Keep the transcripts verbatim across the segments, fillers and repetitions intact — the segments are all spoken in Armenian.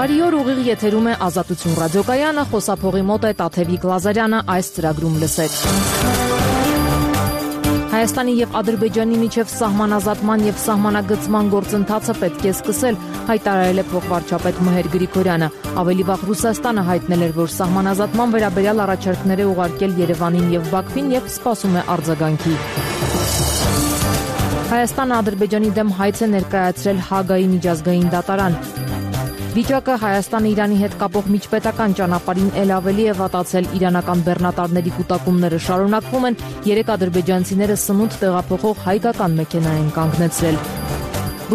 Բարի օր, ուղիղ եթերում է Ազատություն ռադիոկայանը, խոսափողի մոտ է Տաթևիկ Լազարյանը, այս ծրագրում լսեք։ Հայաստանի եւ Ադրբեջանի միջև սահմանազատման եւ սահմանագծման գործընթացը պետք է սկսել, հայտարարել է փոխվարչապետ Մհեր Գրիգորյանը։ Ավելի վաղ Ռուսաստանը հայտնել էր, որ սահմանազատման վերաբերյալ առաջարկներ է ուղարկել Երևանին եւ Բաքվին եւ սպասում է արձագանքի։ Հայաստանը Ադրբեջանի դեմ հայց է ներկայացրել Հագայի միջազգային դատարան։ Վիճակը Հայաստանը Իրանի հետ կապող միջպետական ճանապարհին ել ավելի է վատացել, իրանական բեռնատարների կուտակումները շարունակվում են, երեք ադրբեջանցիները սնունդ տեղափոխող հայկական մեքենա են կանգնեցրել։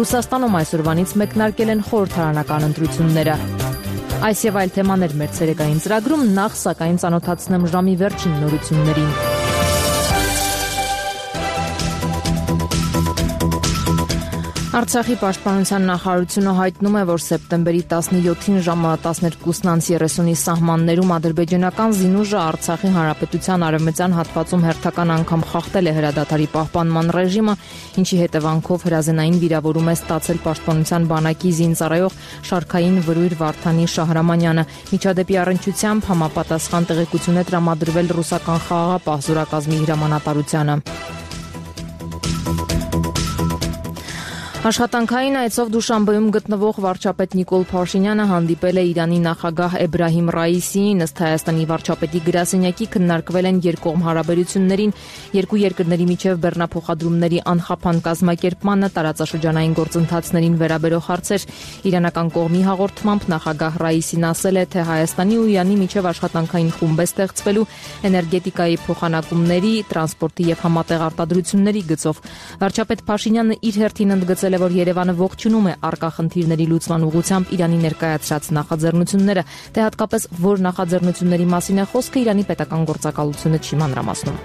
Ռուսաստանում այսօրվանից մեկնարկել են խորհրդարանական ընտրությունները։ Այս եւ այլ թեմաներ մեր ցերեկային ծրագրում, նախ սակայն ծանոթացնեմ ժամի վերջին նորություններին։ Արցախի պաշտպանության նախարարությունը հայտնում է, որ սեպտեմբերի տասնյոթին ժամը տասներկուն երեսունի սահմաններում ադրբեջանական զինուժը Արցախի հանրապետության արևմտյան հատվածում հերթական անգամ խախտել է հրադադարի պահպանման ռեժիմը, ինչի հետևանքով հրազենային վիրավորում է ստացել պաշտպանության բանակի զինծառայող շարքային վրույր Վարդանի Շահրամանյանը։ Միջադեպի առնչությամբ համապատասխան տեղեկություն է տրամադրվել ռուսական խաղաղապահ զորակազմի հրամանատարությանը։ Աշխատանքային այցով Դուշանբեում գտնվող վարչապետ Նիկոլ Փաշինյանը հանդիպել է Իրանի նախագահ Էբրահիմ Ռայիսիին, ըստ Հայաստանի վարչապետի գրասենյակի քննարկվել են երկկողմ հարաբերություններին, երկու երկրների միջև բեռնափոխադրումների անխափան կազմակերպմանը, տարածաշրջանային գործընթացներին վերաբերող հարցեր։ Իրանական կողմի հաղորդմամբ նախագահ Ռայիսին ասել է, թե Հայաստանի ու Իրանի միջև աշխատանքային խումբ է ստեղծվելու էներգետիկայի փոխանակումների, տրանսպորտի եւ համատեղ արտադրությունների գծով։ Վարչապետ Փաշինյանը իր հերթին ընդգծել է, որ Երևանը ողջունում է առկա խնդիրների լուծման ուղղությամբ Իրանի ներկայացրած նախաձեռնությունները, թե հատկապես որ նախաձեռնությունների մասին է խոսքը, Իրանի պետական գործակալությունը չի մանրամասնում։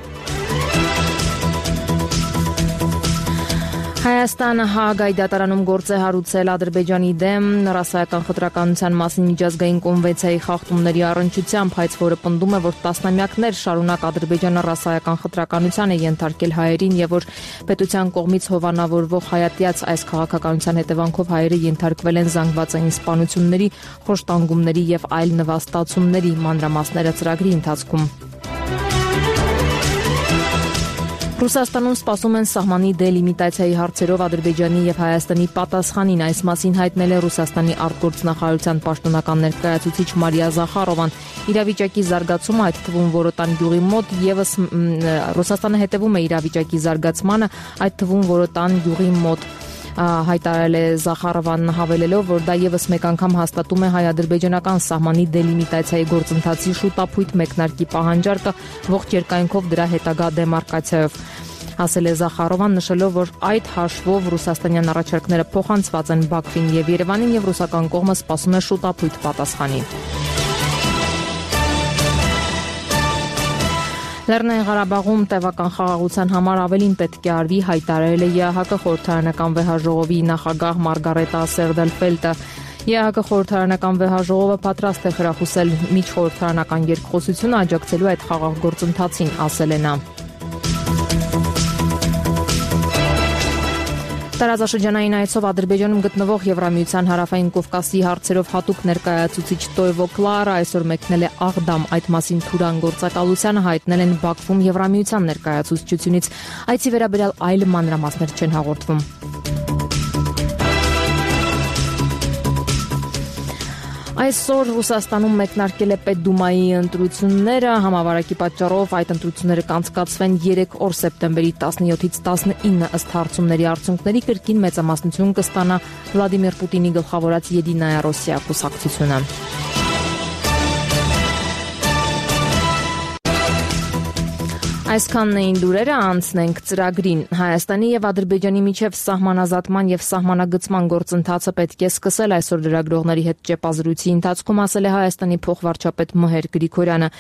Հայաստանը Հաագայի դատարանում գործ է հարուցել Ադրբեջանի դեմ ռասայական խտրականության մասին միջազգային կոնվենցիայի խախտումների առնչությամբ, հայց որը պնդում է, որ տասնամյակներ շարունակ Ադրբեջանը ռասայական խտրականության է ենթարկել հայերին եւ որ պետության կողմից հովանավորվող հայատյաց այս քաղաքականության հետևանքով հայերը ենթարկվել են զանգվածային սպանությունների, խոշտանգումների եւ այլ նվաստացումների, մանրամասները ծրագրի ընթացքում։ Ռուսաստանում սպասում են սահմանի դելիմիտացիայի հարցերով Ադրբեջանի եւ Հայաստանի պատասխանին, այս մասին հայտնել է Ռուսաստանի արտգործնախարարության պաշտոնական ներկայացուցիչ Մարիա Զախարովան։ Իրավիճակի զարգացումը, այդ թվում Որոտան գյուղի մոտ եւս Ռուսաստանը հետևում է իրավիճակի զարգացմանը, այդ թվում Որոտան գյուղի մոտ, հայտարարել է Զախարովան, հավելելով, որ դա եւս մեկ անգամ հաստատում է հայ-ադրբեջանական սահմանի դելիմիտացիայի գործընթացի շուտափույթ մեկնարկի պահանջարկը ողջ երկայնքով դրա հետագա դեմարկացիայով։ Ասել է Զախարովան, նշելով, որ այդ հաշվով ռուսաստանյան առաջարկները փոխանցված են Բաքվին եւ Երևանին եւ ռուսական կողմը սպասում է շուտափույթ պատասխանի։ Լեռնային Ղարաբաղում տևական խաղաղության համար ավելին պետք է արվի, հայտարարել է ԵԱՀԿ խորհրդարանական վեհաժողովի նախագահ Մարգարետա Սերդելֆելտը։ ԵԱՀԿ խորհրդարանական վեհաժողովը պատրաստ է խրախուսել միջխորհրդարանական երկխոսությունը աջակցելու այդ խաղաղ գործընթացին, ասել է նա։ Տարածաշրջանային այցով Ադրբեջանում գտնվող Եվրամիության հարավային Կովկասի հարցերով հատուկ ներկայացուցիչ Տոյվո Կլարը այսօր մեկնել է Աղդամ, այդ մասին Թուրան գործակալությանը հայտնել են Բաքվում Եվրամիության ներկայացուցչությունից, այցի վերաբերյալ այլ մանրամասներ չեն հաղորդվում։ Այսօր Ռուսաստանում մեկնարկել է Պետդումայի ընտրությունները, համավարակի պատճառով այդ ընտրությունները կանցկացվեն երեք օր սեպտեմբերի տասնյոթից տասնինը, ըստ հարցումների արդյունքների կրկին մեծամասնություն կստանա Վլադիմիր Պուտինի գլխավորած Եդինայա Ռոսիա կուսակցությունը։ Այսքանն էին լուրերը, անցնենք ծրագրին։ Հայաստանի եւ Ադրբեջանի միջև սահմանազատման եւ սահմանագծման գործընթացը պետք է սկսել, այսօր լրագրողների հետ ճեպազրույցի ընթացքում ասել է Հայաստանի փոխվարչապետ Մհեր Գրիգորյանը։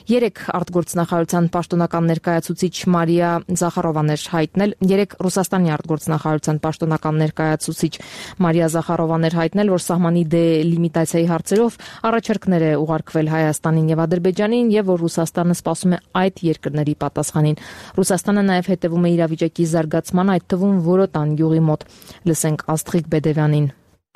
Երեք արտգործնախարարության պաշտոնական ներկայացուցիչ Մարիա Զախարովան էր հայտնել, երեք Ռուսաստանի արտգործնախարարության պաշտոնական ներկայացուցիչ Մարիա Զախարովան էր հայտնել, որ սահմանի դելիմիտացիայի հարցերով առաջարկներ է ուղարկվել Հայաստանին եւ Ադրբեջանին եւ որ Ռուսաստանը սպասում է այդ երկրների պատասխանին։ Ռուսաստանը նաեւ հետևում է իրավիճակի զարգացման, այդ թվում Որոտան գյուղի մոտ։ Լսենք Աստղիկ Բեդևյանին։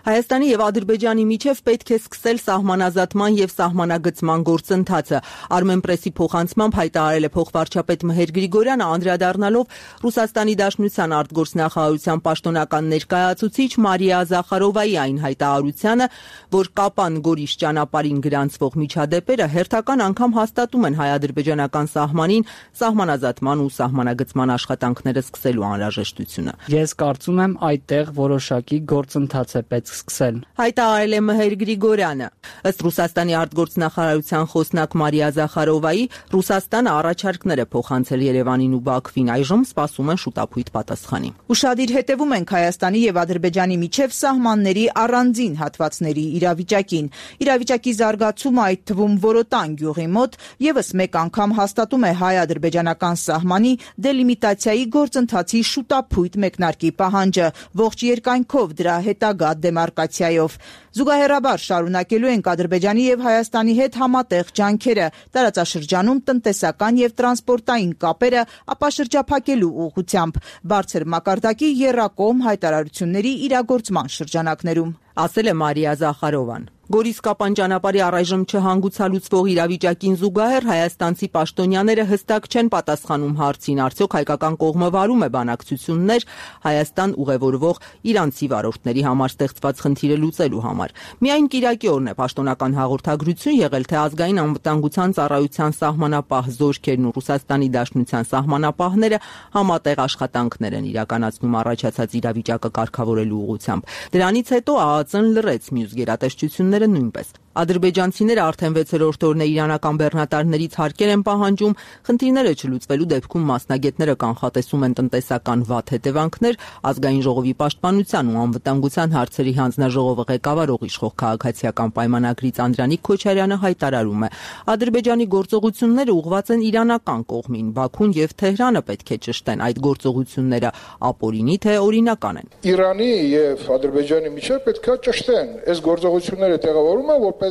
Հայաստանի եւ Ադրբեջանի միջև պետք է սկսել սահմանազատման եւ սահմանագծման գործընթացը։ Armenpress-ի փոխանցմամբ հայտարարել է փոխվարչապետ Մհեր Գրիգորյանը, անդրադառնալով Ռուսաստանի Դաշնության արտգործնախարարության պաշտոնական ներկայացուցիչ Մարիա Զախարովայի այն հայտարարությանը, որ Կապան Գորիս ճանապարհին գրանցվող միջադեպերը հերթական անգամ հաստատում են հայ-ադրբեջանական սահմանին սահմանազատման ու սահմանագծման աշխատանքները սկսելու անհրաժեշտությունը։ Ես կարծում եմ այդտեղ որոշակի գործընթաց է պետք սկսել։ Հայտարարել է Մհեր Գրիգորյանը։ Ըստ Ռուսաստանի արտգործնախարարության խոսնակ Մարիա Զախարովայի, Ռուսաստանը առաջարկներ է փոխանցել Երևանին ու Բաքվին, այժմ սպասում են շուտապույտ պատասխանի։ Ուշադիր հետևում ենք Հայաստանի եւ Ադրբեջանի միջև սահմանների առանձին հատվածների իրավիճակին։ Իրավիճակի զարգացումը, այդ թվում Որոտան գյուղի մոտ, եւս մեկ անգամ հաստատում է հայ-ադրբեջանական սահմանի դելիմիտացիայի գործընթացի շուտապույտ մեկնարկի պահանջը, ողջ երկայնքով դրա հետագա դեմարկացիայով։ Զուգահեռաբար շարունակելու ենք Ադրբեջանի եւ Հայաստանի հետ համատեղ ջանքերը տարածաշրջանում տնտեսական եւ տրանսպորտային կապերը ապաշրջափակելու ուղղությամբ, բարձր մակարդակի եռակողմ հայտարարությունների իրագործման շրջանակներում, ասել է Մարիա Զախարովան։ Գորիս-Կապան ճանապարհի առայժմ չհանգուցալուծվող իրավիճակին զուգահեռ հայաստանցի պաշտոնյաները հստակ չեն պատասխանում հարցին, արդյոք հայկական կողմը վարում է բանակցություններ Հայաստան ուղևորվող իրանցի վարորդների համար ստեղծված խնդիրը լուծելու համար։ Միայն կիրակի օրն է պաշտոնական հաղորդագրություն եղել, թե ազգային անվտանգության ծառայության սահմանապահ զորքերն ու Ռուսաստանի Դաշնության սահմանապահները համատեղ աշխատանքներ են իրականացնում առաջացած իրավիճակը կարգավորելու ուղղությամբ։ Դրանից հետո ԱԱԾ-ն լռեց, մյուս գերատեսչությունները նույնպես։ Ադրբեջանցիները արդեն վեցերորդ օրն է իրանական բեռնատարներից հարկեր են պահանջում, խնդիրները չլուծվելու դեպքում մասնագետները կանխատեսում են տնտեսական վատ հետևանքներ, ազգային ժողովի պաշտպանության ու անվտանգության հարցերի հանձնաժողովը ղեկավարող իշխող քաղաքացիական պայմանագրից Անդրանիկ Քոչարյանը հայտարարում է. Ադրբեջանի գործողությունները ուղղված են իրանական կողմին, Բաքուն եւ Թեհրանը պետք է ճշտեն այդ գործողությունները ապօրինի թե օրինական են։ Իրանի եւ Ադրբեջանի միջև պետք է ճշտեն, այս գործողությունները տեղավորում են որպես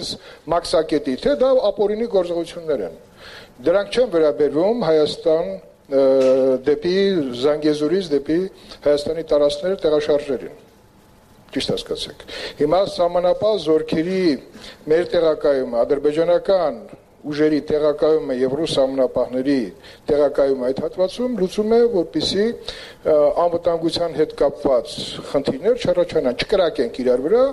մաքսակետի, թե դա ապօրինի գործողություններ են։ Դրանք չեն վերաբերվում Հայաստան դեպի Զանգեզուրից դեպի Հայաստանի տարածքները տեղաշարժերին։ Ճիշտ հասկացեք։ Հիմա սահմանապահ զորքերի մեր տեղակայումը, ադրբեջանական ուժերի տեղակայումը եւ ռուս սահմանապահների տեղակայումը այդ հատվածում լուծում է, որպեսզի անվտանգության հետ կապված խնդիրներ չառաջանան, չկրակենք իրար վրա,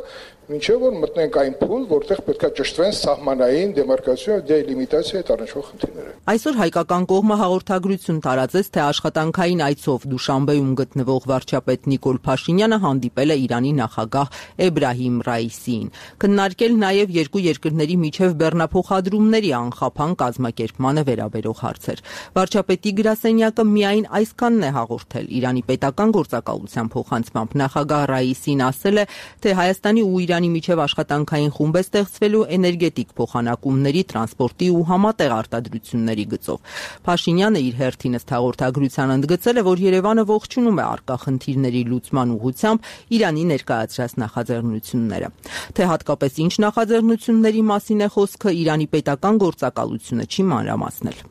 մինչև որ մտնենք այն փուլ, որտեղ պետք է ճշտվեն սահմանային դեմարկացիա եւ դելիմիտացիա հետ առնչվող խնդիրները։ Այսօր հայկական կողմը հաղորդագրություն տարածեց, թե աշխատանքային այցով Դուշանբեում գտնվող վարչապետ Նիկոլ Փաշինյանը հանդիպել է Իրանի նախագահ Էբրահիմ Ռայիսիին, քննարկել նաեւ երկու երկրների միջև բեռնափոխադրումների անխափան կազմակերպմանը վերաբերող հարցեր։ Վարչապետի գրասենյակը միայն այսքանն է հաղորդել։ Իրանի պետական գործակալության փոխանցմամբ նախագահ Ռայիսին ասել է, թե Հայաստանի ու Իրանի միջև աշխատանքային խումբ է ստեղծվելու էներգետիկ փոխանակումների, տրանսպորտի ու համատեղ արտադրությունների գծով։ Փաշինյանը իր հերթին ըստ հաղորդագրության ընդգծել է, որ Երևանը ողջունում է առկա խնդիրների լուծման ուղղությամբ Իրանի ներկայացրած նախաձեռնությունները։ Թե հատկապես ինչ նախաձեռնությունների մասին է խոսքը, Իրանի պետական գործակալությունը չի մանրամասնել։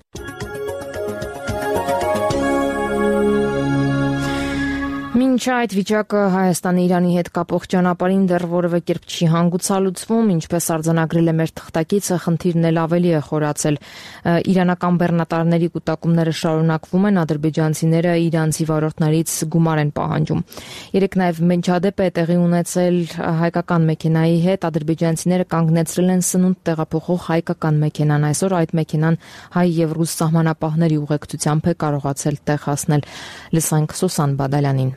Մինչ այդ վիճակը Հայաստանի Իրանի հետ կապող ճանապարհին դեռ որևէ կերպ չի հանգուցալուծվում, ինչպես արձանագրել է մեր թղթակիցը, խնդիրն էլ ավելի է խորացել։ Իրանական բեռնատարների կուտակումները շարունակվում են, ադրբեջանցիները իրանցի վարորդներից գումար են պահանջում։ Երեկ նաև միջադեպ է տեղի ունեցել հայկական մեքենայի հետ, ադրբեջանցիները կանգնեցրել են սնունդ տեղափոխող հայկական մեքենան, այսօր այդ մեքենան հայ եւ ռուս սահմանապահների ուղեկցությամբ է կարողացել տեղ հասնել։ Լսենք Սուսան Բադալյանին։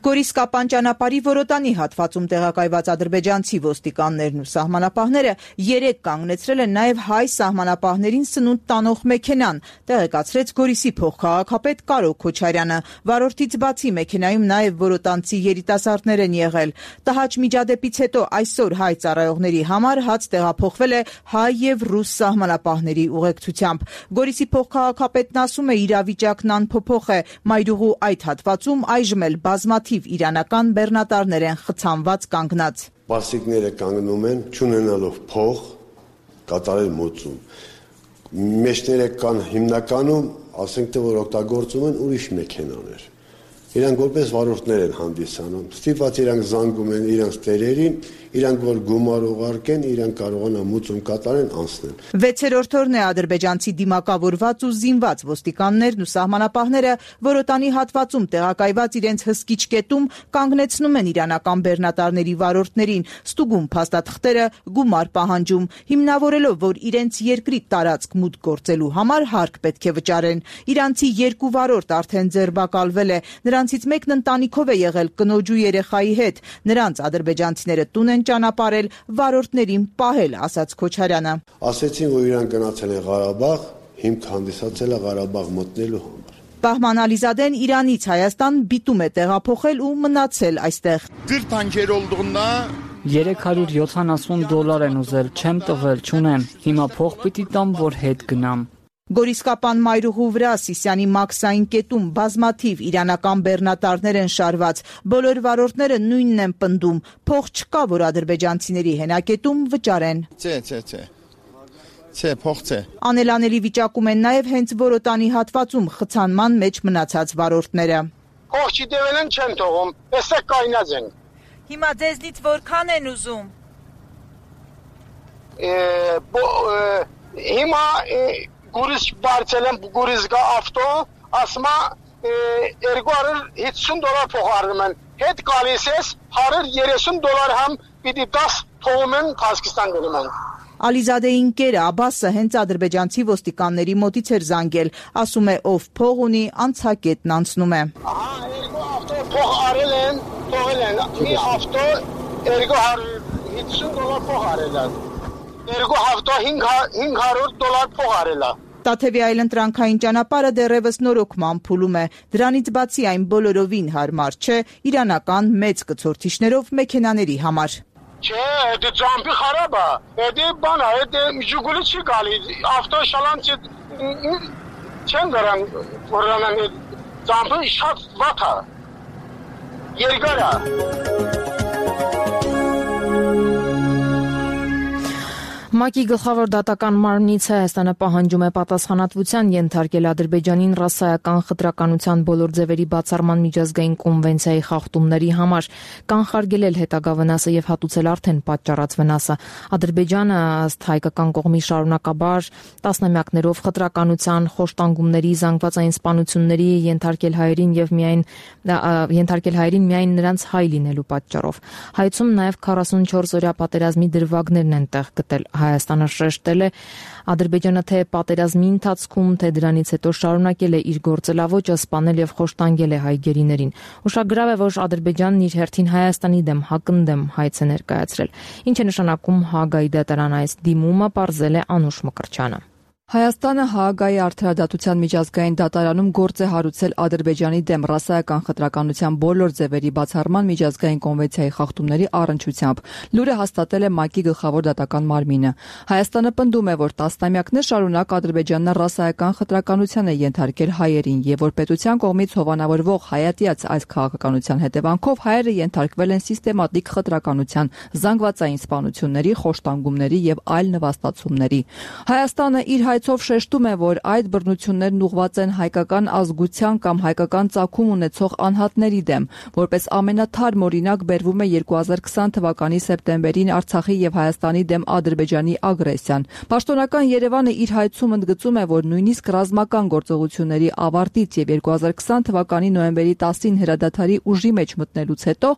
Գորիս-Կապան ճանապարհի Որոտանի հատվածում տեղակայված ադրբեջանցի ոստիկաններն ու սահմանապահները երեկ կանգնեցրել են նաև հայ սահմանապահներին սնունդ տանող մեքենան, տեղեկացրեց Գորիսի փոխքաղաքապետ Կարո Քոչարյանը։ Վարորդից բացի մեքենայում նաև որոտանցի երիտասարդներ են եղել։ Տհաճ միջադեպից հետո այսօր հայ ծառայողների համար հաց տեղափոխվել է հայ եւ ռուս սահմանապահների ուղեկցությամբ։ Գորիսի փոխքաղաքապետն ասում է, իրավիճակն անփոփոխ է, մայրուղու այդ հատվածում այժմ էլ բազմաթիվ իրանական բեռնատարներ են խցանված կանգնած։ Պասիկները կանգնում են, չունենալով փող, կատարել մոծում։ Մեջները կան հիմնականում, ասենք թե որ օգտագործում են ուրիշ մեքենաներ։ Իրանք որպես վարորդներ են հանդիսանում, ստիպված իրանք զանգում են իրանք տերերին, իրանք որ գումար ուղարկեն, իրանք կարողանան մուծում կատարեն անցնել։ վեցերորդ օրն է ադրբեջանցի դիմակավորված ու զինված ոստիկաններն ու սահմանապահները Որոտանի հատվածում տեղակայված իրենց հսկիչ կետում կանգնեցնում են իրանական բեռնատարների վարորդներին, ստուգում փաստաթղթերը, գումար պահանջում, հիմնավորելով, որ իրենց երկրի տարածք մուտք գործելու համար հարկ պետք է վճարեն։ Իրանցի երկու վարորդ արդեն ձերբակալվել է, նրանցից մեկն ընտանիքով է եղել կնոջ ու երեխայի հետ, նրանց ադրբեջանցիները տուն են ճանապարհել, վարորդներին պահել, ասաց Քոչարյանը։ Ասեցին, որ իրանք գնացել են Ղարաբաղ, հիմք հանդիսացել է Ղարաբաղ մտնելու համար։ Բահման Ալիզադեն Իրանից Հայաստան բիտում է տեղափոխել ու մնացել այստեղ։ երեք հարյուր յոթանասուն դոլար են ուզել, չեմ տվել, չունեմ։ Հիմա փող պիտի տամ, որ հետ գնամ։ Գորիսկապան մայրուղու վրա Սիսիանի մաքսային կետում բազմաթիվ իրանական բեռնատարներ են շարված, բոլոր վարորդները նույնն են պնդում, փող չկա, որ ադրբեջանցիների հենակետում վճարեն։ Չէ, չէ, չէ։ Չէ, փող չէ։ Անելանելի վիճակում են նաև հենց Որոտանի հատվածում խցանման մեջ մնացած վարորդները։ Փող չդեվել են չեն թողում, էսը կայնած են։ Հիմա ձեզնից որքան են ուզում։ Հիմա Գուրիս բարձել եմ գուրիսգա ավտո, ասմա երկու հարյուր հիսուն դոլար փող առնում են, հետ գալիս ես հարյուր երեսուն դոլար համ պիտի դաս թողում են Կազախստան գնում են։ Ալիզադեի ընկերը Աբասը հենց ադրբեջանցի ոստիկանների մոտից էր զանգել, ասում է ով փող ունի անցակետն անցնում է։ Ահա երկու ավտո փող արել են, թողել են, մի ավտո երկու հարյուր հիսուն դոլար փող արել են։ Երկու ավտո հինգ հարյուր դոլար փող արել է։ Տաթևի այլընտրանքային ճանապարհը դեռևս նորոգման փուլում է։ Դրանից բացի այն բոլորովին հարմար չէ իրանական մեծ կցորդիչներով մեքենաների համար։ Չէ, դա ջամփի խարաբ է։ Դա բան է, դա Ժուգուլի չի գալի։ Ավտո շալան չեն դրան, որոնան ջամփի շատ վատ է։ Երկար է։ ՄԱԿ-ի գլխավոր դատական մարմնից Հայաստանը պահանջում է պատասխանատվության ենթարկել Ադրբեջանին ռասայական խտրականության բոլոր ձևերի բացառման միջազգային կոնվենցիայի խախտումների համար, կանխարգելել հետագա վնասը եւ հատուցել արդեն պատճառած վնասը։ Ադրբեջանը ըստ հայկական կողմի շարունակաբար տասնամյակներով խտրականության, խոշտանգումների, զանգվածային սպանությունների ենթարկել հայերին եւ միայն ենթարկել հայերին միայն նրանց հայ լինելու պատճառով։ Հայցում նաեւ քառասունչորս օրյա պատերազմի դրվագներն են տեղ գտել։ Հայաստանը շեշտել է Ադրբեջանը թե պատերազմի ընթացքում, թե դրանից հետո շարունակել է իր գործելավոճը, սպանել եւ խոշտանգել է հայ գերիներին։ Ուշագրավ է, որ Ադրբեջանն իր հերթին Հայաստանի դեմ հակընդդեմ հայց է ներկայացրել։ Ինչ է նշանակում Հաագայի դատարան այս դիմումը, պարզել է Անուշ Մկրտչյանը։ Հայաստանը Հաագայի արդարադատության միջազգային դատարանում գործ է հարուցել Ադրբեջանի դեմ ռասայական խտրականության բոլոր ձևերի բացառման միջազգային կոնվենցիայի խախտումների առնչությամբ։ Լուրը հաստատել է ՄԱԿ-ի գլխավոր դատական մարմինը։ Հայաստանը պնդում է, որ տասնամյակներ շարունակ Ադրբեջանն ռասայական խտրականության է ենթարկել հայերին եւ որ պետության կողմից հովանավորվող հայատյաց այս քաղաքականության հետևանքով հայերը ենթարկվել են սիստեմատիկ խտրականության, զանգվածային սպանությունների, խոշտանգումների եւ այլ նվաստացումների։ Հայաստանը իր Ով շեշտում է, որ այդ բռնություններն ուղղված են հայկական ազգության կամ հայկական ծագում ունեցող անհատների դեմ, որպես ամենաթարմ օրինակ բերվում է երկու հազար քսան թվականի սեպտեմբերին Արցախի եւ Հայաստանի դեմ Ադրբեջանի ագրեսիան։ Պաշտոնական Երևանը իր հայցում ընդգծում է, որ նույնիսկ ռազմական գործողությունների ավարտից եւ երկու հազար քսան թվականի նոյեմբերի տասին հրադադարի ուժի մեջ մտնելուց հետո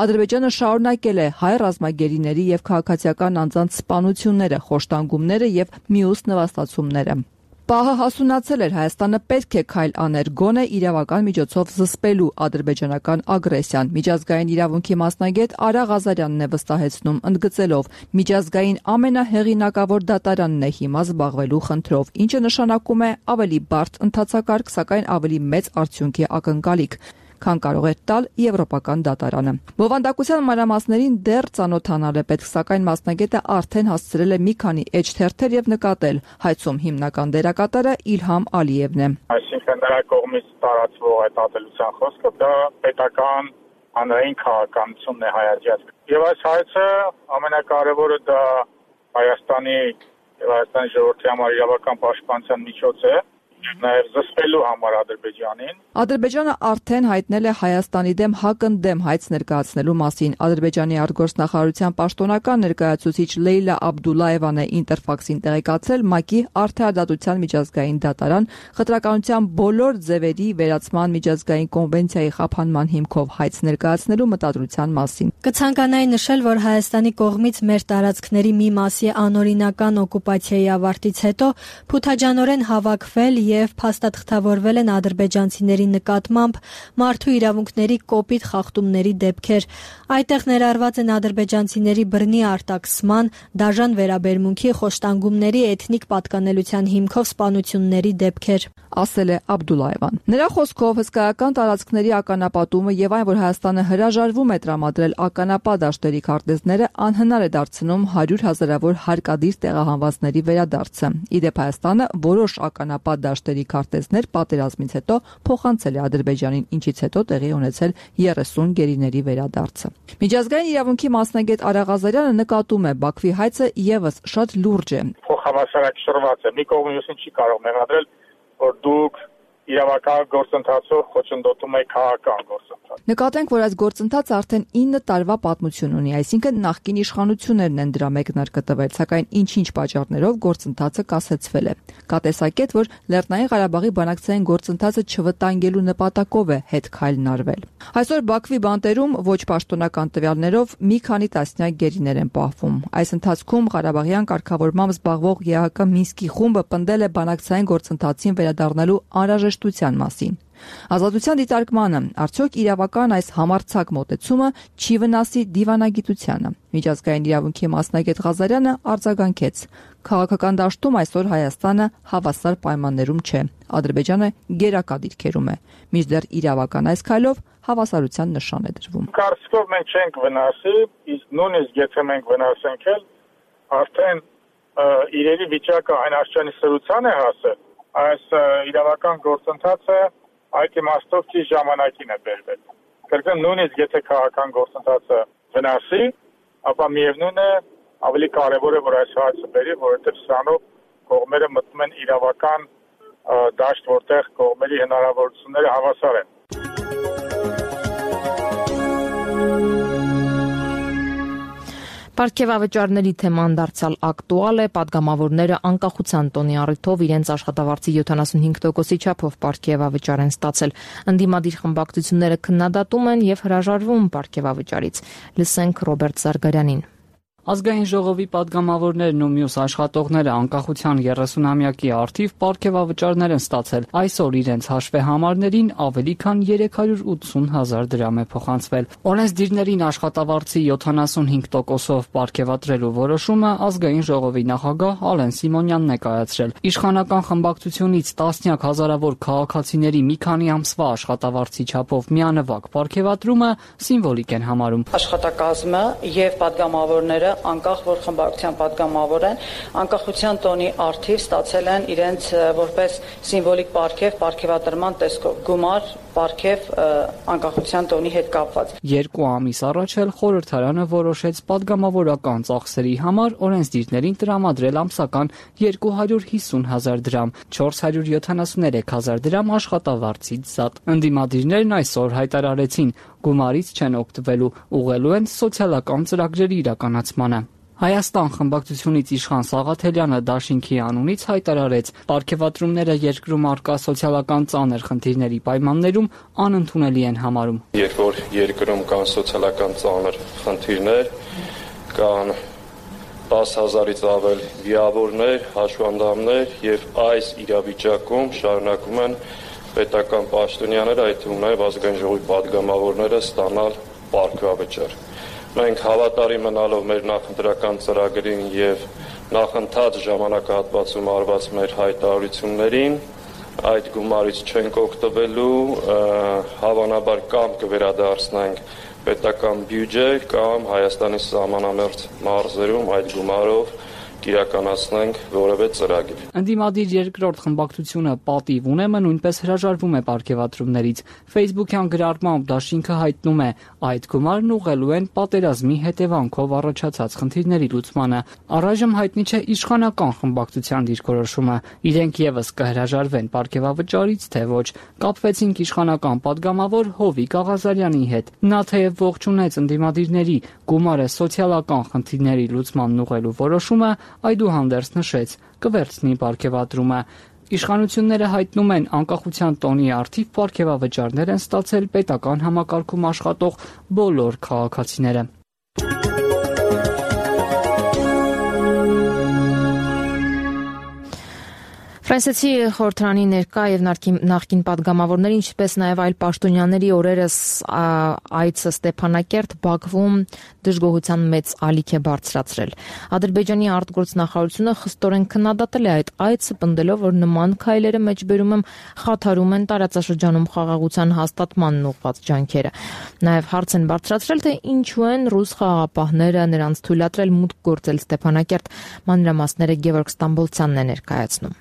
Ադրբեջանը շարունակել է հայ ռազմագերիների եւ քաղաքացիական անձանց սպանությունները, խոշտանգումները եւ մյուս նվաստացումները։ Պահը հասունացել էր Հայաստանը պետք է քայլ աներ գոնե իրավական միջոցով զսպելու ադրբեջանական ագրեսիան։ Միջազգային իրավունքի մասնագետ Արա Ղազարյանն է վստահեցնում, ընդգծելով միջազգային ամենահեղինակավոր դատարանն է հիմա զբաղվելու խնդրով, ինչը նշանակում է ավելի բարդ ընթացակարգ, սակայն ավելի մեծ արդյունքի ակնկալիք, քան կարող է տալ Եվրոպական դատարանը։ Բովանդակության մանրամասներին դեռ ծանոթանալ է պետք, սակայն մասնագետը արդեն հասցրել է մի քանի էջ թերթեր եւ նկատել հայցում հիմնական դերակատարը Իլհամ Ալիևն է։ Այսինքն նրա կողմից տարածվող այդ ատելության խոսքը դա պետական հանրային քաղաքականությունն է հայացած։ Եվ այս հայցը ամենակարևորը դա Հայաստանի եւ Հայաստանի ժողովրդի համար իրավական պաշտպանության միջոց է նաև զսպելու համար Ադրբեջանին։ Ադրբեջանը արդեն հայտնել է Հայաստանի դեմ հակընդդեմ հայց ներկայացնելու մասին։ Ադրբեջանի արտգործնախարարության պաշտոնական ներկայացուցիչ Լեյլա Աբդուլլաևան է Ինտերֆաքսին տեղեկացրել ՄԱԿ-ի արդարադատության միջազգային դատարան խտրականության բոլոր ձևերի վերացման միջազգային կոնվենցիայի խափանման հիմքով հայց ներկայացնելու մտադրության մասին։ Կցանկանայի նշել, որ Հայաստանի կողմից մեր տարածքների մի մասի անօրինական օկուպացիայի ավարտից հետո փութաջանորեն հավաքվել եւ փաստաթղթավորվել են ադրբեջանցիների նկատմամբ մարդու իրավունքների կոպիտ խախտումների դեպքեր։ Այդտեղ ներառված են ադրբեջանցիների բռնի արտաքսման, դաժան վերաբերմունքի, խոշտանգումների, էթնիկ պատկանելության հիմքով սպանությունների դեպքեր, ասել է Աբդուլլաևան։ Նրա խոսքով հսկայական տարածքների ականապատումը եւ այն, որ Հայաստանը հրաժարվում է տրամադրել ականապատ դաշտերի քարտեզները, անհնար է դարձնում հարյուր հազարավոր հարկադիր տեղահանվածների վերադարձը։ Իդեպ Հայաստանը որոշ ականապատ դաշտերի քարտեզներ պատերազմից հետո փոխանցել է Ադրբեջանին, ինչից հետո տեղի ունեցել երեսուն գերիների վերադարձը։ Միջազգային իրավունքի մասնագետ Արա Ղազարյանը նկատում է, Բաքվի հայցը եւս շատ լուրջ է։ Փոխհամաշխարհակշռված է։ Մի կողմից չի կարող մեղադրել, որ դուք իրավական գործընթացով խոչընդոտում եք քաղաքական գործընթաց։ Նկատենք, որ այս գործընթացը արդեն ինը տարվա պատմություն ունի, այսինքն նախկին իշխանություններն են դրա մեկնարկը տվել, սակայն ինչ-ինչ պատճառներով գործընթացը կասեցվել է։ Կա տեսակետ, որ Լեռնային Ղարաբաղի բանակցային գործընթացը չվտանգելու նպատակով է հետ քայլն արվել։ Այսօր Բաքվի բանտերում ոչ պաշտոնական տվյալներով մի քանի տասնյակ գերիներ են պահվում։ Այս ընթացքում Ղարաբաղյան կարգավորմամբ զբաղվող ԵԱՀԿ Մինսկի խումբը պնդել է բանակցային գործընթացին վերադառնալու անհրաժեշտության մասին։ Ազատության դիտարկմանը արդյոք իրավական այս համարձակ մոտեցումը չի վնասի դիվանագիտությանը։ Միջազգային իրավունքի մասնագետ Ղազարյանը արձագանքեց. Քաղաքական դաշտում այսօր Հայաստանը հավասար պայմաններում չէ։ Ադրբեջանը գերակա դիրքերում է։ Մինչդեռ իրավական այս քայլով հավասարության նշան է դրվում։ Կարծիքով մենք չենք վնասի, իսկ նույնիսկ եթե մենք վնասենք էլ, արդեն իրերի վիճակը այն աշխարհի սրության է հասել, այս իրավական գործընթացը այդ իմաստով չի ժամանակին է բերվել։ Կրկն նույնիսկ եթե քաղաքական գործընթացը վնասի, ապա միևնույն է ավելի կարևոր է, որ այս հարցը բերի, որովհետև սրանով կողմերը մտնում են իրավական դաշտ, որտեղ կողմերի հնարավորությունները հավասար են։ Պարգևավճարների թեման դարձյալ ակտուալ է, պատգամավորները անկախության տոնի առիթով իրենց աշխատավարձի յոթանասունհինգ տոկոսի չափով պարգևավճար են ստացել։ Ընդդիմադիր խմբակցությունները քննադատում են եւ հրաժարվում պարգևավճարից։ Լսենք Ռոբերտ Զարգարյանին։ Ազգային ժողովի պատգամավորներն ու մյուս աշխատողները անկախության երեսունամյակի առթիվ պարգևավճարներ են ստացել։ Այսօր իրենց հաշվեհամարներին ավելի քան երեք հարյուր ութսուն հազար դրամ է փոխանցվել։ Օրենսդիրներին աշխատավարձի յոթանասունհինգ տոկոսով պարգևատրելու որոշումը ազգային ժողովի նախագահ Ալեն Սիմոնյանն է կայացրել։ Իշխանական խմբակցությունից տասնյակ հազարավոր քաղաքացիների մի քանի ամսվա աշխատավարձի չափով միանվագ պարգևատրումը սիմվոլիկ են համարում։ Աշխատակազմը եւ պատգամավորները անկախ որ խմբակցության պատգամավոր են, անկախության տոնի առթիվ ստացել են իրենց որպես սիմվոլիկ պարգև, պարգևատրման տեսքով, գումար, պարգև անկախության տոնի հետ կապված։ Երկու ամիս առաջ էլ խորհրդարանը որոշեց պատգամավորական ծախսերի համար օրենսդիրներին տրամադրել ամսական երկու հարյուր հիսուն հազար դրամ, չորս հարյուր յոթանասուներեք հազար դրամ աշխատավարձից զատ։ Ընդդիմադիրներն այսօր հայտարարեցին, գումարից չեն օգտվելու, ուղղելու են սոցիալական ծրագրերի իրականացմանը։ Հայաստան խմբակցությունից իշխան Սաղաթելյանը դաշինքի անունից հայտարարեց, պարգևատրումները երկրում առկա սոցիալական ծանր խնդիրների պայմաններում անընդունելի են համարում։ Երբ որ երկրում կան սոցիալական ծանր խնդիրներ, կան տասը հազարից ավել վիավորներ, հաշվանդամներ եւ այս իրավիճակում շարունակում են պետական պաշտոնյաները, այդ թվում նաեւ ազգային ժողովի պատգամավորները ստանալ պարգևավճար։ Մենք հավատարիմ մնալով մեր նախընտրական ծրագրին եւ նախընթաց ժամանակահատվածում արված մեր հայտարարություններին, այդ գումարից չենք օգտվելու, հավանաբար կամ կվերադարձնենք պետական բյուջե կամ Հայաստանի սահմանամերձ մարզերում այդ գումարով կիրականացնենք որևէ ծրագիր։ Ընդդիմադիր երկրորդ խմբակցությունը պատիվ ունեմը նույնպես հրաժարվում է պարգևատրումներից։ Facebook-յան գրառմամբ դաշինքը հայտնում է, այդ գումարն ուղղելու են պատերազմի հետևանքով առաջացած խնդիրների լուծմանը։ Առայժմ հայտնի չէ իշխանական խմբակցության դիրքորոշումը։ Իրենք եւս կհրաժարվեն պարգևավճարից, թե ոչ։ Կապվեցինք իշխանական падգամավոր Հովիկ Աղազարյանի հետ։ Նա թեև ողջունեց ընդդիմադիրների գումարը սոցիալական խնդիրների լուծմանն ուղղելու որոշումը, այդուհանդերձ նշեց, կվերցնի պարգևատրումը։ Իշխանությունները հայտնում են անկախության տոնի առթիվ պարգևավճարներ են ստացել պետական համակարգում աշխատող բոլոր քաղաքացիները։ Ֆրանսիացի խորհրդարանի ներկա եւ նախկին падգամավորների, ինչպես նաեւ այլ պաշտոնյաների օրերս այցը Ստեփանակերտ Բաքվում դժգոհության մեծ ալիք է բարձրացրել։ Ադրբեջանի արտգործնախարարությունը խստորեն քննադատել է այդ այցը, պնդելով, որ նման քայլերը մեջբերում են խաթարում են տարածաշրջանում խաղաղության հաստատմանն ուղղված ջանքերը։ Նաեւ հարց են բարձրացրել, թե ինչու են ռուս խաղաղապահները նրանց թույլատրել մուտք գործել Ստեփանակերտ։ Մանրամասները Գևորգ Ստամբոլցյանն է ներկայացնում։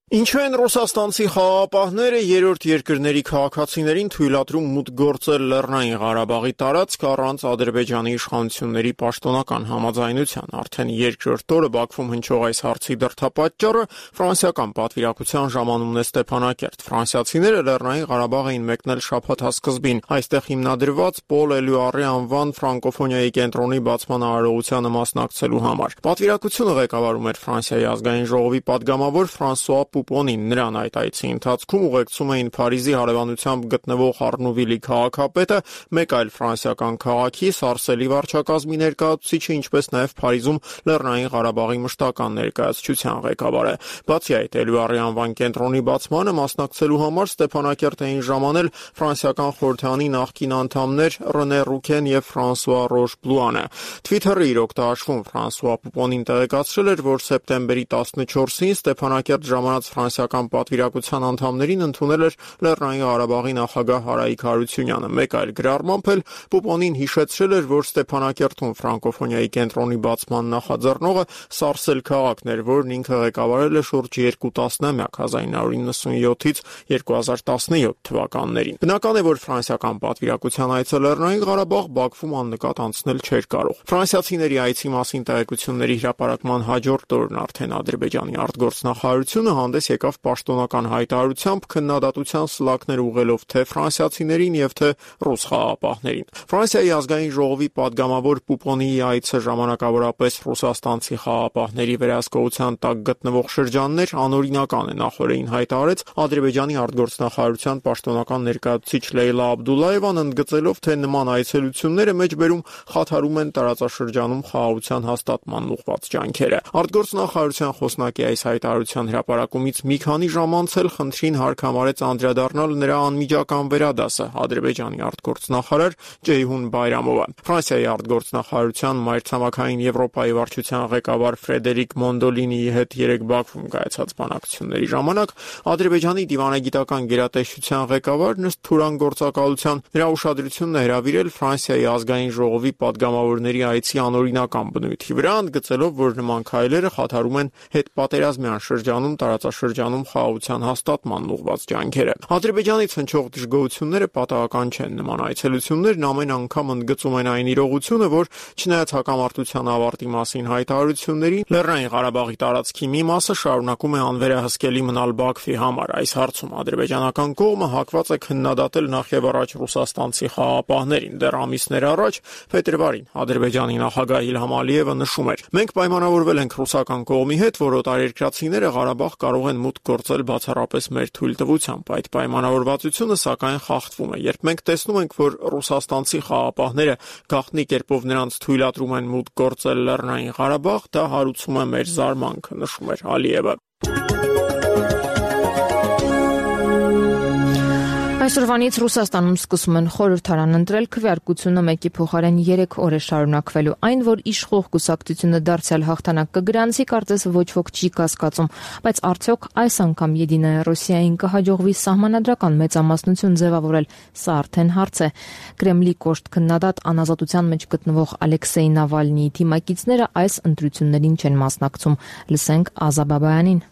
Ինչու են ռուսաստանցի խաղաղապահները երրորդ երկրների քաղաքացիներին թույլատրում մուտք գործել Լեռնային Ղարաբաղի տարածք առանց Ադրբեջանի իշխանությունների պաշտոնական համաձայնության։ Արդեն երկրորդ օրը Բաքվում հնչող այս հարցի դրդապատճառը ֆրանսիական պատվիրակության ժամանումն է Ստեփանակերտ։ Ֆրանսիացիները Լեռնային Ղարաբաղ էին մեկնել շաբաթ սկզբին, այստեղ հիմնադրված Պոլ Էլյուարի անվան ֆրանկոֆոնիայի կենտրոնի բացման արարողությանը մասնակցելու համար։ Պատվիրակությունը ղեկավարում էր Ֆրանսիայի ազգային ժողովի падգամավոր Ֆրանսուଆ Պուպոնին։ Նրան այդ այցի ընթացքում ուղեկցում էին Փարիզի հարևանությամբ գտնվող Արնուվիլի քաղաքապետը, մեկ այլ ֆրանսիական քաղաքի Սարսելի վարչակազմի ներկայացուցիչը, ինչպես նաև Փարիզում Լեռնային Ղարաբաղի մշտական ներկայացության ղեկավարը։ Բացի այդ, Էլյուարի անվան կենտրոնի բացմանը մասնակցելու համար Ստեփանակերտ էին ժամանել ֆրանսիական խորհրդարանի նախկին անդամներ Ռենե Ռուքեն եւ Ֆրանսուଆ Ռոշբլուանը։ Twitter-ը իր օգտաաշվում Ֆրանսուଆ Պուպոնին տեղեկացրել էր, որ սեպտեմբերի տասնչորսին Ստեփանակերտ ժամանած ֆրանսիական պատվիրակության անդամներին ընդունել էր Լեռնային Ղարաբաղի նախագահ Հարայիկ Հարությունյանը։ Մեկ այլ գրառմամբ էլ Պուպոնին հիշեցրել էր, որ Ստեփանակերտում ֆրանկոֆոնիայի կենտրոնի բացման նախաձեռնողը Սարսել քաղաքն էր, որն ինքը ղեկավարել է շուրջ երկու տասնամյակ հազար նույն հարյուր նվսյոթից երկու հազար տասնյոթ թվականներին։ Բնական է, որ ֆրանսիական պատվիրակության այցը Լեռնային Ղարաբաղ Բաքվում աննկատ անցնել չէր կարող։ Ֆրանսիացիների այցի մասին տեղեկությունների հրապարակման հաջորդ օրն արդեն Ադրբեջանի արտգործնախարարությունը հանդես եկավ պաշտոնական հայտարարությամբ քննադատության սլաքներ ուղղելով թե ֆրանսիացիներին եւ թե ռուս խաղաղապահներին։ Ֆրանսիայի ազգային ժողովի падգամավոր Պուպոնիի այցը ժամանակավորապես ռուսաստանցի խաղաղապահների վերահսկողության տակ գտնվող շրջաններ անօրինական է, նախորդին հայտարարեց Ադրբեջանի արտգործնախարարության պաշտոնական ներկայացուցիչ Լեյլա Աբդուլլաևան, ընդգծելով, թե նման այցելությունները մեջբերում խաթարում են տարածաշրջանում խաղաղության հաստատմանն ուղղված ջանքերը։ Արտգործնախարարության խոսնակի այս հայտարարության հրապարակումից մի քանի ժամ անց էլ խնդրին հարկամարեց անդրադառնալ նրա անմիջական վերադասը Ադրբեջանի արտգործնախարար Ջեյհուն Բայրամովը։ Ֆրանսիայի արտգործնախարարության մայրցամաքային Եվրոպայի վարչության ղեկավար Ֆրեդերիկ Մոնդոլինիի հետ երեկ Բաքվում կայացած բանակցությունների ժամանակ Ադրբեջանի դիվանագիտական գերատեսչության ղեկավար Նստ Թուրան գործակալության նրա ուշադրությունն է հրավիրել Ֆրանսիայի ազգային ժողովի падգամավորների այցի անօրինական բնույթի վրա, ընդգծելով, որ նման քայլերը խաթարում են հետպատերազմյան շրջանում տարածաշրջանում խաղաղության հաստատմանն ուղղված ջանքերը։ Ադրբեջանից հնչող դժգոհությունները պատահական չեն։ Նման այցելություններն ամեն անգամ ընդգծում են այն իրողությունը, որ չնայած հակամարտության ավարտի մասին հայտարարություններին, Լեռնային Ղարաբաղի տարածքի մի մասը շարունակում է անվերահսկելի մնալ Բաքվի համար։ Այս հարցում ադրբեջանական կողմը հակված է քննադատել նախևառաջ ռուսաստանցի խաղաղապահներին։ Դեռ ամիսներ առաջ փետրվարին Ադրբեջանի նախագահ Իլհամ Ալիևը նշում էր. «Մենք պայմանավորվել ենք ռուսական կողմի հետ, որ օտարերկրացիները Ղարաբաղ կարող են մուտք գործել բացառապես մեր թույլտվությամբ։ Այդ պայմանավորվածությունը սակայն խախտվում է։ Երբ մենք տեսնում ենք, որ ռուսաստանցի խաղաղապահները գաղտնի կերպով նրանց թույլատրում են մուտք գործել Լեռնային Ղարաբաղ, դա հարուցում է մեր զարմանքը», նշում էր Ալիևը։ Այսօրվանից Ռուսաստանում սկսում են խորհրդարան ընտրել, քվեարկությունը մեկի փոխարեն երեք օր է շարունակվելու։ Այն, որ իշխող կուսակցությունը դարձյալ հաղթանակ կգրանցի, կարծես ոչ ոք չի կասկածում, բայց արդյոք այս անգամ Եդինայա Ռոսիային կհաջողվի սահմանադրական մեծամասնություն ձևավորել, սա արդեն հարց է։ Կրեմլի կոշտ քննադատ անազատության մեջ գտնվող Ալեքսեյ Նավալնիի թիմակիցները այս ընտրություններին չեն մասնակցում։ Լսենք Ազա Բաբայանին։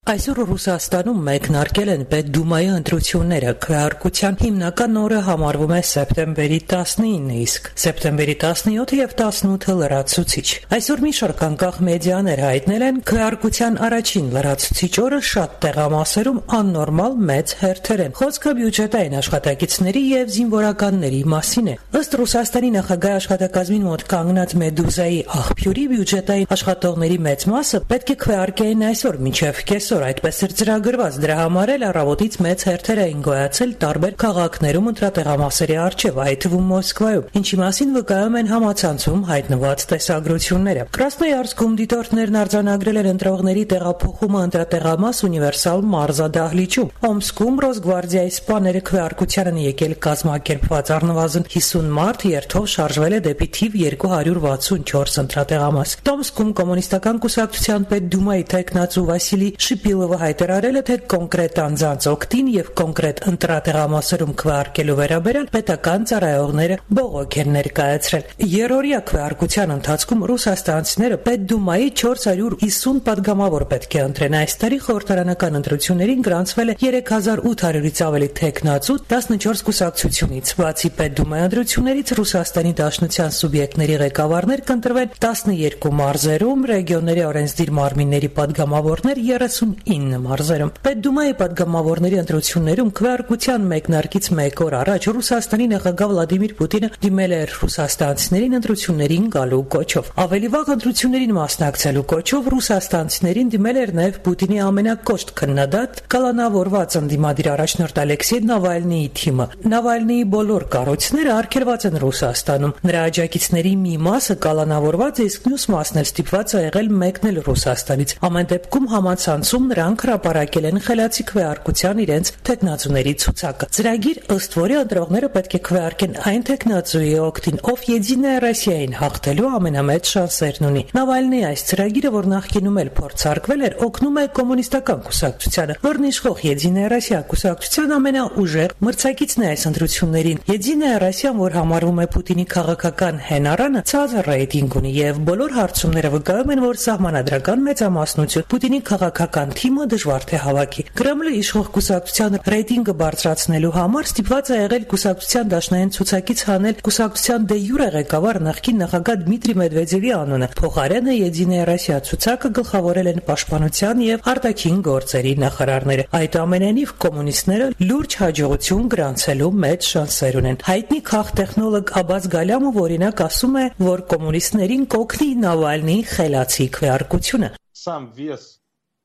Այսօր Ռուսաստանում մեկնարկել են Պետդումայի ընտրությունները, քվեարկության հիմնական օրը համարվում է սեպտեմբերի տասնինը, իսկ սեպտեմբերի տասնյոթը եւ տասնութը լրացուցիչ։ Այսօր մի շարք անկախ մեդիաներ հայտնել են քվեարկության առաջին լրացուցիչ օրը շատ տեղամասերում աննորմալ մեծ հերթեր են։ Խոսքը բյուջետային աշխատակիցների եւ զինվորականների մասին է։ Ըստ Ռուսաստանի նախագահ աշխատակազմին մոտ կանգնած Մեդուզայի աղբյուրի բյուջետային աշխատողների մեծ մասը պետք է քվեարկեին այսօր մինչեւ կես այդպես էր ծրագրված, դրա համար էլ առավոտից մեծ հերթեր էին գոյացել տարբեր քաղաքներում ընտրատեղամասերի առջև, այդ թվում Մոսկվայում, ինչի մասին վկայում են համացանցում հայտնված տեսագրությունները։ Կրասնոյարսկում դիտորդներն արձանագրել են ընտրողների տեղափոխումը ընտրատեղամաս ունիվերսալ մարզադահլիճում։ Օմսկում Ռոսգվարդիայի սպաները քվեարկության են եկել կազմակերպված առնվազն հիսուն մարդ երթով շարժվել է դեպի թիվ երկու հարյուր վաթսունչորս ընտրատեղամաս։ Տոմսկում կոմունիստական կուսակցության պետդումայի տեխնացու Վասիլի Շիպիլովը հայտարարել է, թե կոնկրետ անձանց օգտին եւ կոնկրետ ընտրատեղամասերում քվեարկելու վերաբերյալ պետական ծառայողները բողոք են ներկայացրել։ Երրորդյա քվեարկության ընթացքում ռուսաստանցիները Պետդումայի չորս հարյուր հիսուն падգամավոր պետք է ընտրեն։ Այս տարի խորհրդարանական ընտրություններին գրանցվել է երեք հազար ութ հարյուրից ավելի տեխնացու տասնչորս կուսակցությունից։ Բացի Պետդումայի ընտրություններից Ռուսաստանի Դաշնության սուբյեկտների ղեկավարներ կընտրվեն տասնյոթ մարզերում, ռեգիոնների օրենսդիր մարմինների падգամավորներ երեսունինը մարզերում։ Պետդումայի падգամավորների ընտրություններում քվեարկության մեկնարկից մեկ օր առաջ Ռուսաստանի նախագահ Վլադիմիր Պուտինը դիմել էր ռուսաստանցիներին ընտրություններին գալու կոչով։ Ավելի վաղ ընտրություններին մասնակցելու կոչով ռուսաստանցիներին դիմել էր նաև Պուտինի ամենակոշտ քննադատ կալանավորված ընդդիմադիր առաջնորդ Ալեքսեյ Նավալնիի թիմը։ Նավալնիի բոլոր կառույցները արգելված են Ռուսաստանում։ Նրա աջակիցների մի մասը կալանավորված է, իսկ մյուս մասն էլ ստիպված է եղել մեկնել Ռուսաստանից։ Ամեն դեպքում համացանցում նրանք հրապարակել են խելացի քվեարկության իրենց տեխնացուների ցուցակը։ Ծրագիր, ըստ որի ընտրողները պետք է քվեարկեն այն տեխնացուի օգտին, ով Եդինայա Ռոսիային հաղթելու ամենամեծ շանսերն ունի։ Նավալնիի այս ծրագիրը, որ նախկինում էլ փորձարկվել էր, օգնում է կոմունիստական կուսակցությանը, որն իշխող Եդինայա Ռոսիա կուսակցության ամենաուժեղ մրցակիցն է այս ընտրություններին։ Եդինայա Ռոսիան, որ համարվում է Պուտինի քաղաքական հենարանը, ցածր ռեյտինգ ունի եւ բոլոր հարցումները վկայում են, որ սահմանադրական մեծամասնություն Պուտինի քաղաքական թիմը դժվար թե հավաքի։ Կրեմլը իշխող կուսակցության ռեյտինգը բարձրացնելու համար ստիպված է եղել կուսակցության դաշնային ցուցակից հանել կուսակցության դե յուրե ղեկավար նախկին նախագահ Դմիտրի Մեդվեդևի անունը։ Փոխարենը Եդինայա Ռոսիա ցուցակը գլխավորել են պաշտպանության եւ արտաքին գործերի նախարարները։ Այդ ամենենիվ կոմունիստները լուրջ հաջողություն գրանցելու մեծ շանսեր ունեն։ Հայտնի քաղտեխնոլոգ Աբաս Գալյամով օրինակ ասում է, որ կոմունիստներին կօգնի Նավալնիի խելացի քվեարկությունը։ Сам вес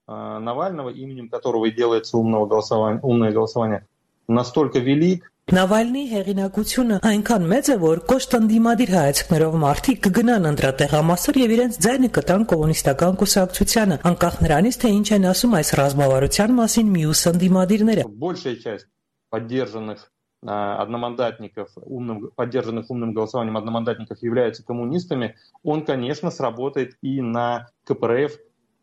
э, Навального, именем которого и делается умного голосования, умное голосование, настолько велик. Նավալնիի հեղինակությունը այնքան մեծ է, որ կոշտ ընդդիմադիր հայացքներով մարդիկ կգնան ընտրատեղամասեր եւ իրենց ձայնը կտան կոմունիստական կուսակցությանը, անկախ նրանից, թե ինչ են ասում այս ռազմավարության մասին մյուս ընդդիմադիրները։ Большая часть поддержанных э, одномандатников, умным, поддержанных умным голосованием одномандатников являются коммунистами, он, конечно, сработает и на ка пэ эр эф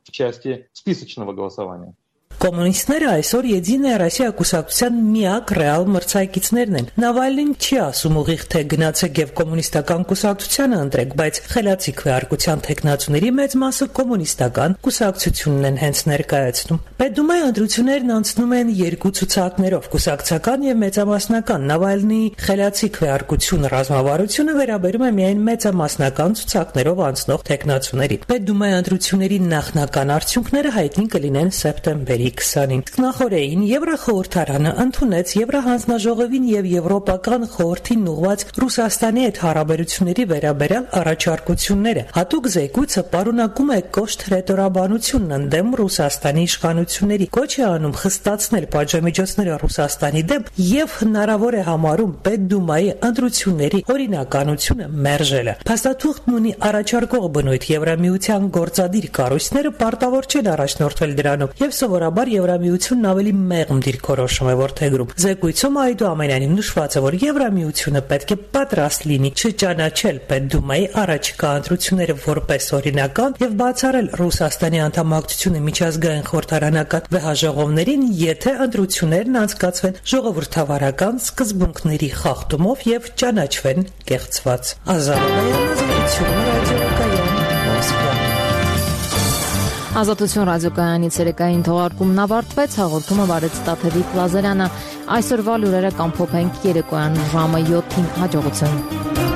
в части списочного голосования. Կոմունիստները այսօր Եդինայա Ռոսիա կուսակցության միակ ռեալ մրցակիցներն են։ Նավալնին չի ասում ուղիղ թե գնացեք եւ կոմունիստական կուսակցությանը ընտրեք, բայց խելացի քվեարկության տեխնացուների մեծ մասը կոմունիստական կուսակցությունն են հենց ներկայացնում։ Պետդումայի ընտրություններն անցնում են երկու ցուցակներով՝ կուսակցական եւ մեծամասնական։ Նավալնիի խելացի քվեարկություն ռազմավարությունը վերաբերում է միայն մեծամասնական ցուցակներով անցնող տեխնացուներին։ Պետդումայի ընտրությունների նախնական արդյունքները հայտնի կլինեն սեպտեմբերի քսանին։ Նախորդին Եվրախորհրդարանը ընդունեց Եվրահանձնաժողովին եւ Եվրոպական խորհրդին ուղղված Ռուսաստանի հետ հարաբերությունների վերաբերյալ առաջարկությունները։ Հատուկ զեկույցը պարունակում է կոշտ հռետորաբանությունն ընդդեմ Ռուսաստանի իշխանությունների, կոչ է անում խստացնել պատժամիջոցները Ռուսաստանի դեմ եւ հնարավոր է համարում Պետդումայի ընտրությունների օրինականությունը մերժելը։ Փաստաթուղթն ունի առաջարկող բնույթ, Եվրամիության գործադիր կառույցները պարտավոր չեն առաջնորդվել դրանով եւ սովորաբար համար Եվրամիությունն ավելի մեղմ դիրքորոշում է որդեգրում։ Զեկույցում այդուամենայնիվ նշված է, որ Եվրամիությունը պետք է պատրաստ լինի չճանաչել Պետդումայի առաջիկա ընտրությունները որպես օրինական եւ բացառել Ռուսաստանի անդամակցությունը միջազգային խորհրդարանական վեհաժողովներին, եթե ընտրություններն անցկացվեն ժողովրդավարական սկզբունքների խախտումով եւ ճանաչվեն կեղծված։ Ազատություն ռադիոկայանի ցերեկային թողարկումն ավարտվեց, հաղորդումը վարեց Տաթևիկ Լազարյանը։ Այսօրվա լուրերը կամփոփենք երեկոյան ժամը յոթին։ Հաջողություն։